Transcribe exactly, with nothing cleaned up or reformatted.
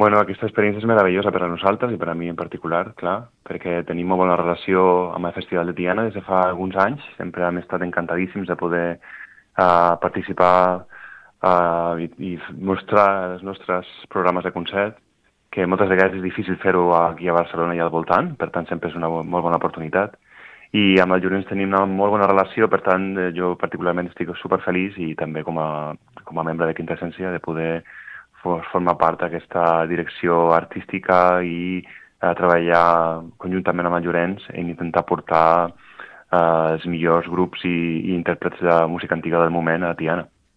Bueno, aquesta experiència és meravellosa per a nosaltres i per a mi en particular, clar, perquè tenim molt bona relació amb el Festival de Tiana des de fa alguns anys. Sempre hem estat encantadíssims de poder uh, participar uh, i, i mostrar els nostres programes de concert, que moltes vegades és difícil fer-ho aquí a Barcelona i al voltant, per tant sempre és una bo- molt bona oportunitat. I amb el Llorenç tenim una molt bona relació, per tant eh, jo particularment estic superfeliç i també com a, com a membre de Quinta Essència de poder for, formar part d'aquesta direcció artística i eh, treballar conjuntament amb el Llorenç en intentar portar eh, els millors grups i, i intèrprets de música antiga del moment a Tiana.